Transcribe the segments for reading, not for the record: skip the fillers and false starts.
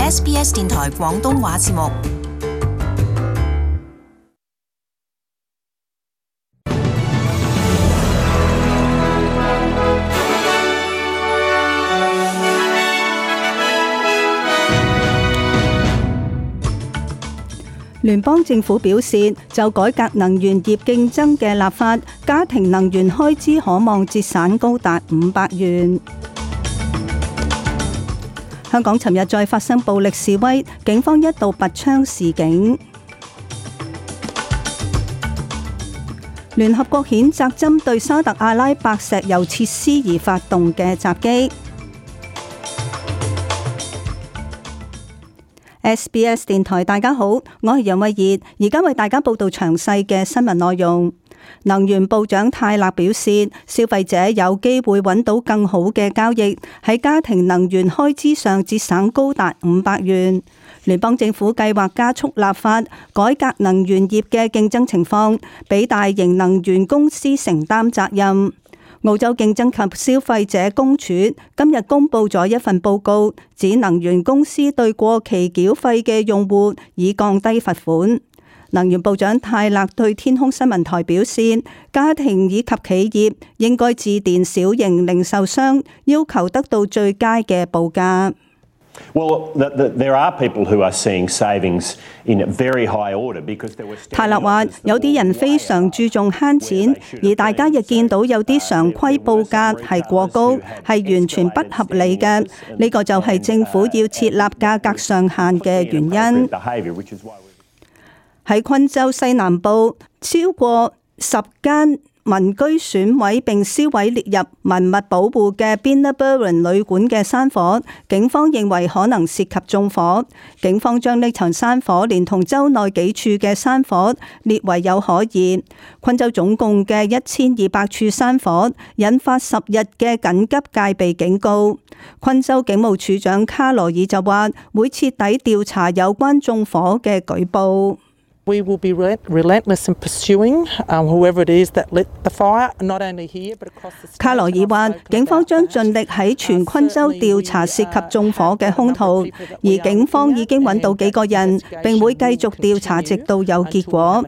SBS 電台廣東話節目。聯邦政府表示，就改革能源業競爭嘅立法，家庭能源開支可望節省高達500元。香港尋日再發生暴力示威，警方一度拔槍示警。聯合國譴責針對沙特阿拉伯石油設施而發動嘅襲擊。SBS 電台大家好，我係楊慧儀，而家為大家報道詳細嘅新聞內容。能源部長泰勒表示，消費者有機會揾到更好嘅交易，喺家庭能源開支上節省高達500元。聯邦政府計劃加速立法，改革能源業嘅競爭情況，俾大型能源公司承擔責任。澳洲競爭及消費者公署今日公布咗一份報告，指能源公司對過期繳費嘅用戶已降低罰款。能源部長泰勒對天空新聞台表示，家庭以及企業應該致電小型零售商，要求得到最佳嘅報價。泰勒話：有啲人非常注重慳錢，而大家亦見到有啲常規報價係過高，係完全不合理嘅。呢個就係政府要設立價格上限嘅原因。喺昆州西南部，超過10間民居損毀並燒毀列入文物保護嘅 Binnaburran 旅館嘅山火，警方認為可能涉及縱火。警方將呢場山火連同州內幾處嘅山火列為有可疑。昆州總共嘅1200處山火，引發10日嘅緊急戒備警告。昆州警務處長卡羅爾就話會徹底調查有關縱火嘅舉報。We will be relentless in pursuing whoever it is that lit the fire, not only here but across the state. 卡羅爾話，警方將盡力喺全昆州調查涉及縱火嘅兇徒，而警方已經揾到幾個人，並會繼續調查直到有結果。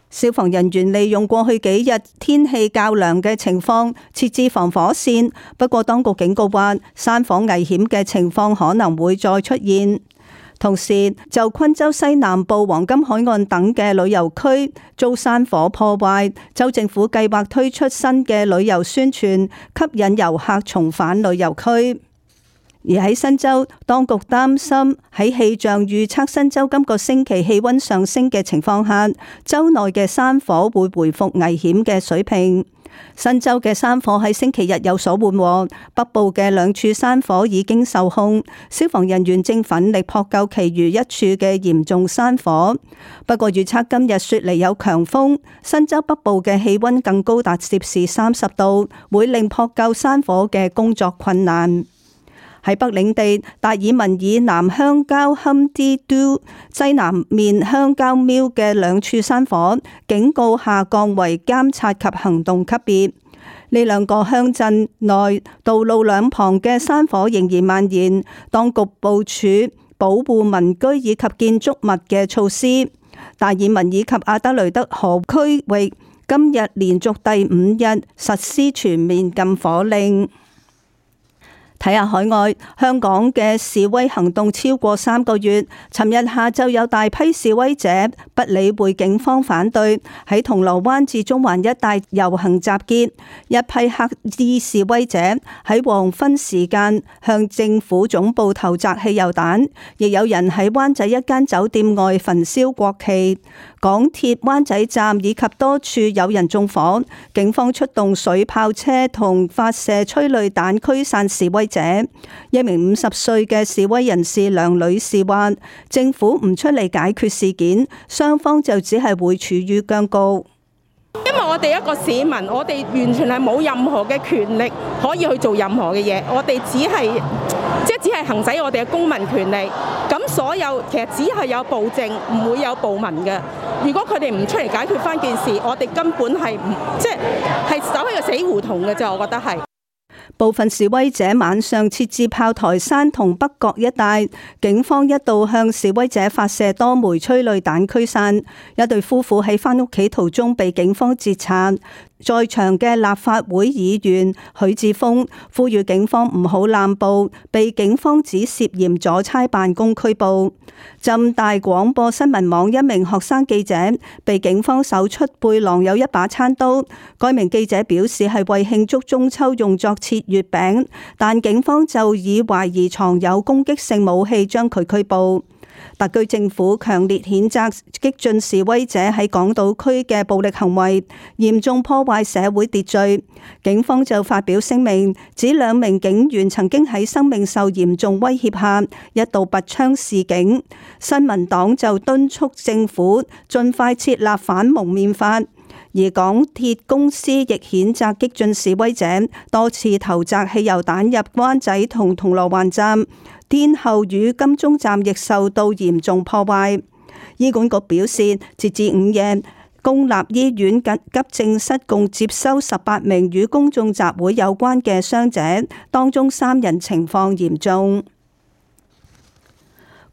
消防人員利用過去幾日天氣較涼嘅情況設置防火線，不過當局警告話，山火危險嘅情況可能會再出現。同時，就昆州西南部黃金海岸等嘅旅遊區遭山火破壞，州政府計劃推出新嘅旅遊宣傳，吸引遊客重返旅遊區。而喺新州，當局擔心喺氣象預測新州今個星期氣溫上升嘅情況下，州內嘅山火會回復危險嘅水平。新州嘅山火喺星期日有所緩和，北部嘅2處山火已經受控，消防人員正奮力撲救其餘1處嘅嚴重山火。不過預測今日雪梨有強風，新州北部嘅氣溫更高達攝氏30度，會令撲救山火嘅工作困難。喺北領地達爾文以南鄉郊坎迪都西南面鄉郊廟嘅2處山火，警告下降為監察及行動級別。呢2個鄉鎮內道路兩旁嘅山火仍然蔓延，當局部署保護民居以及建築物嘅措施。達爾文以及阿德雷德河區域今日連續第5日實施全面禁火令。睇下海外，香港嘅示威行動超過3個月。尋日下晝有大批示威者不理會警方反對，喺銅鑼灣至中環一帶遊行集結。一批黑衣示威者喺黃昏時間向政府總部投擲汽油彈，亦有人喺灣仔一間酒店外焚燒國旗。港鐵灣仔站以及多處有人縱火，警方出動水炮車同發射催淚彈驅散示威者。一名50歲嘅示威人士梁女士話，政府唔出嚟解決事件，雙方就只係會處於僵局。因為我哋一個市民，我哋完全係冇任何嘅權力可以去做任何嘅嘢，我哋只係行使我哋嘅公民權利。咁所有其實只係有暴政，唔會有暴民嘅。如果佢哋唔出嚟解決翻件事，我哋根本係係走喺個死胡同嘅啫，我覺得係。部分示威者晚上設置炮台山同北角一帶，警方一度向示威者發射多枚催淚彈驅散。一對夫婦喺返屋企途中被警方截查。在場嘅立法會議員許智峰呼籲警方唔好濫捕，被警方指涉嫌阻差辦公拘捕。浸大廣播新聞網一名學生記者被警方搜出背囊有一把餐刀，該名記者表示係為慶祝中秋用作切月餅，但警方就以懷疑藏有攻擊性武器將佢拘捕。特區政府強烈譴責激進示威者喺港島區嘅暴力行為，嚴重破壞社會秩序。警方就發表聲明，指兩名警員曾經喺生命受嚴重威脅下一度拔槍示警。新民黨就敦促政府盡快設立反蒙面法。而港鐵公司亦譴責激進示威者多次投擲汽油彈入灣仔同銅鑼灣站，天后與金鐘站亦受到嚴重破壞。醫管局表示，截至午夜，公立醫院急症室共接收18名與公眾集會有關嘅傷者，當中3人情況嚴重。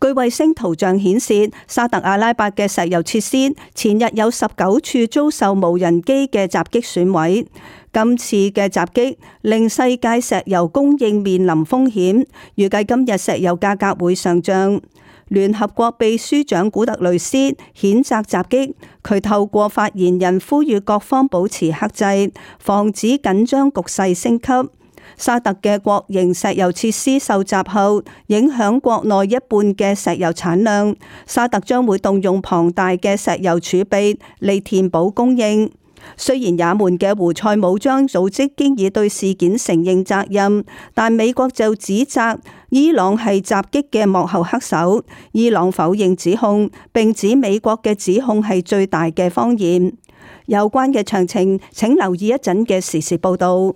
據衛星圖像顯示，沙特阿拉伯嘅石油設施前日有19處遭受無人機嘅襲擊損毀。今次嘅襲擊令世界石油供應面臨風險，預計今日石油價格會上漲。聯合國秘書長古特雷斯譴責襲擊，佢透過發言人呼籲各方保持克制，防止緊張局勢升級。沙特嘅國營石油設施受襲後，影響國內一半嘅石油產量。沙特將會動用龐大嘅石油儲備嚟填補供應。雖然也門嘅胡塞武裝組織經已對事件承認責任，但美國就指責伊朗係襲擊嘅幕後黑手。伊朗否認指控，並指美國嘅指控係最大嘅謊言。有關嘅詳情，請留意一陣嘅時事報導。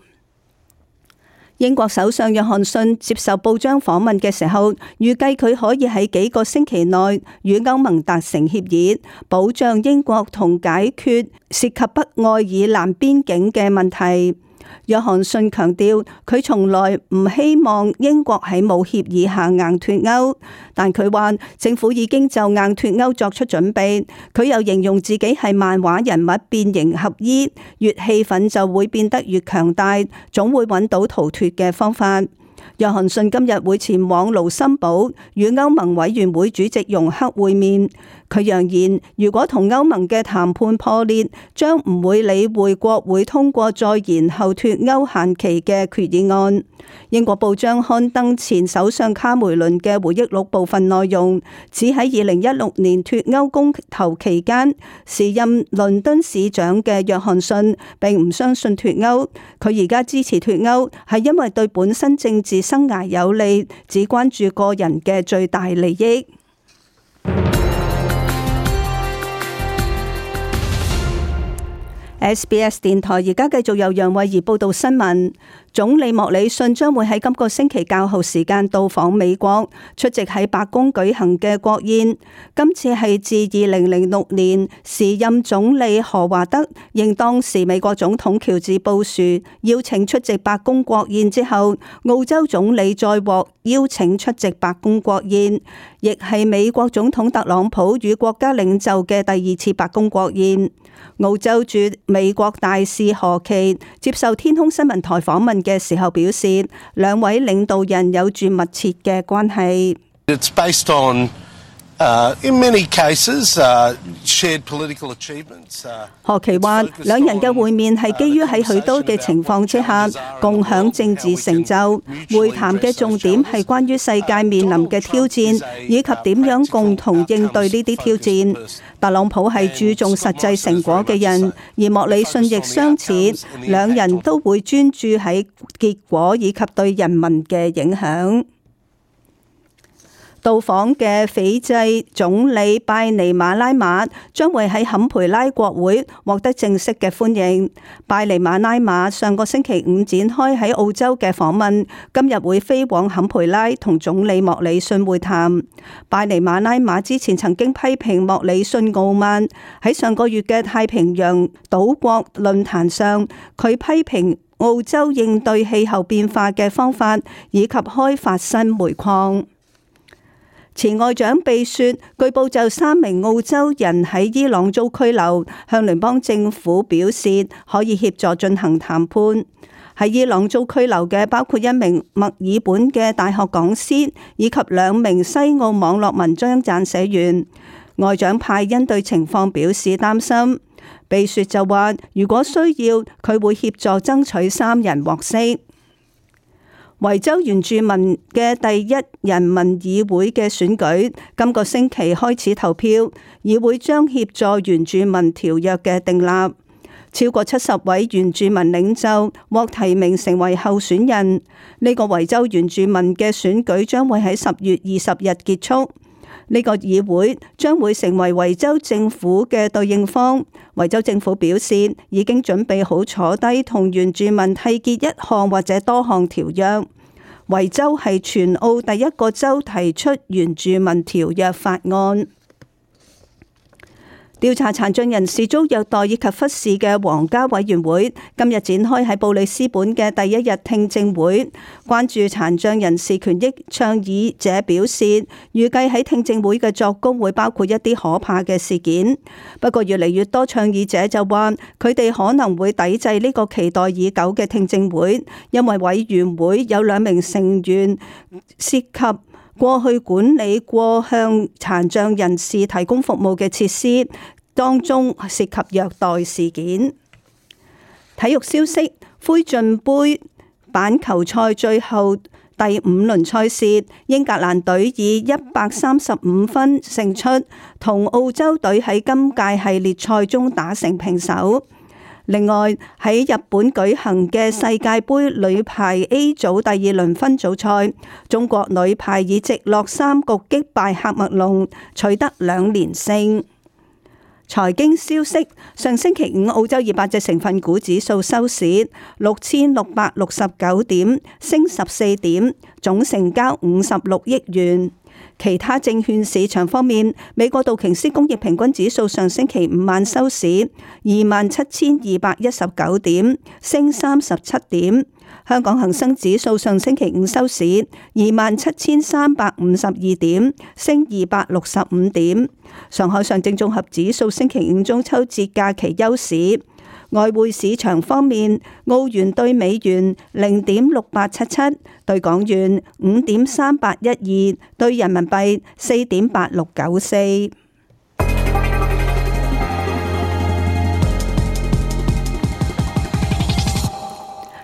英國首相約翰遜接受報章訪問嘅時候，預計佢可以喺幾個星期內與歐盟達成協議，保障英國同解決涉及北愛爾蘭邊境嘅問題。約翰遜強調，佢從來唔希望英國喺冇協議下硬脫歐，但佢話政府已經就硬脫歐作出準備。佢又形容自己係漫畫人物變形俠醫，越氣憤就會變得越強大，總會揾到逃脫嘅方法。約翰遜今日會前往盧森堡與歐盟委員會主席容克會面。佢揚言，如果同歐盟嘅談判破裂，將唔會理會國會通過再延後脫歐限期嘅決議案。英國報章刊登前首相卡梅倫嘅回憶錄部分內容，指喺2016年脫歐公投期間，時任倫敦市長嘅約翰遜並唔相信脫歐。佢而家支持脫歐係因為對本身政治生涯有利，只關注個人嘅最大利益。SBS 電台而家繼續由楊慧儀報道新聞。總理莫里遜將會喺今個星期較後時間到訪美國，出席喺白宮舉行嘅國宴。今次係自2006年時任總理何華德應當時美國總統喬治布殊邀請出席白宮國宴之後，澳洲總理再獲邀請出席白宮國宴，亦係美國總統特朗普與國家領袖嘅第2次白宮國宴。澳洲駐美國大使何奇接受天空新聞台訪問嘅時候表示，兩位領導人有住密切嘅關係。It's based on, in many cases, shared political achievements. 何奇話，兩人嘅會面係基於喺許多嘅情況之下共享政治成就。會談嘅重點係關於世界面臨嘅挑戰，以及點樣共同應對呢啲挑戰。特朗普係注重實際成果嘅人，而莫里遜亦相似，兩人都會專注喺結果以及對人民嘅影響。到訪嘅斐濟總理拜尼馬拉馬將會喺坎培拉國會獲得正式嘅歡迎。拜尼馬拉馬上個星期五展開喺澳洲嘅訪問，今日會飛往坎培拉同總理莫里遜會談。拜尼馬拉馬之前曾經批評莫里遜傲慢，喺上個月嘅太平洋島國論壇上，佢批評澳洲應對氣候變化嘅方法，以及開發新煤礦。前外長貝雪據報就3名澳洲人喺伊朗遭拘留，向聯邦政府表示可以協助進行談判。喺伊朗遭拘留嘅包括1名墨爾本嘅大學講師，以及2名西澳網絡文章撰寫員。外長派恩對情況表示擔心。貝雪就話，如果需要，佢會協助爭取3人獲釋。維州原住民嘅第一人民議會嘅選舉今個星期開始投票，議會將協助原住民條約嘅訂立。超過70位原住民領袖獲提名成為候選人。呢個維州原住民嘅選舉將會喺10月20日結束。呢個議會將會成為維州政府嘅對應方。維州政府表示已經準備好坐低同原住民締結一項或者多項條約。維州係全澳第一個州提出原住民條約法案。調查殘障人士遭虐待以及忽視嘅皇家委員會今日展開喺布里斯本嘅第一日聽證會，關注殘障人士權益倡議者表示，預計喺聽證會嘅作供會包括一啲可怕嘅事件。不過越嚟越多倡議者就話，佢哋可能會抵制呢個期待已久嘅聽證會，因為委員會有2名成員涉及過去管理過向殘障人士提供服務嘅設施，當中涉及虐待事件。體育消息：灰進杯板球賽最後第5輪賽事，英格蘭隊以135分勝出，同澳洲隊喺今屆系列賽中打成平手。另外喺日本舉行嘅世界盃女排 A 組第2輪分組賽，中國女排以直落3局擊敗喀麥隆，取得2連勝。財經消息：上星期5澳洲200隻成分股指數收市6669點，升14點，總成交56億元。其他證券市場方面，美國道瓊斯工業平均指數上星期5晚收市27,219點，升37點。香港恒生指數上星期5收市27,352點，升265點。上海上證綜合指數星期5中秋節假期休市。外匯市場方面，澳元兌美元0.6877，兌港元5.3812，兌人民幣4.8694。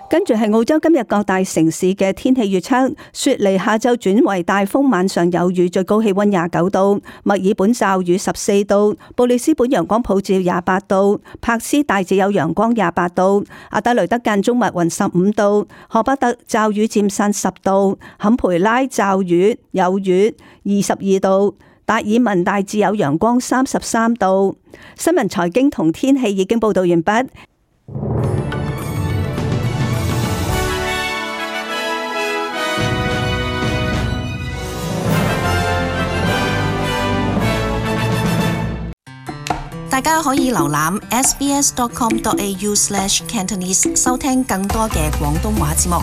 跟住係澳洲今日各大城市嘅天氣預測：雪梨下晝轉為大風，晚上有雨，最高氣溫29度；墨爾本驟雨14度；布里斯本陽光普照28度；柏斯大致有陽光28度；阿德雷德間中密雲15度；荷巴特驟雨漸散10度；坎培拉驟雨有雨22度；達爾文大致有陽光33度。新聞財經同天氣已經報道完畢。大家可以瀏覽 sbs.com.au/cantonese 收聽更多嘅廣東話節目。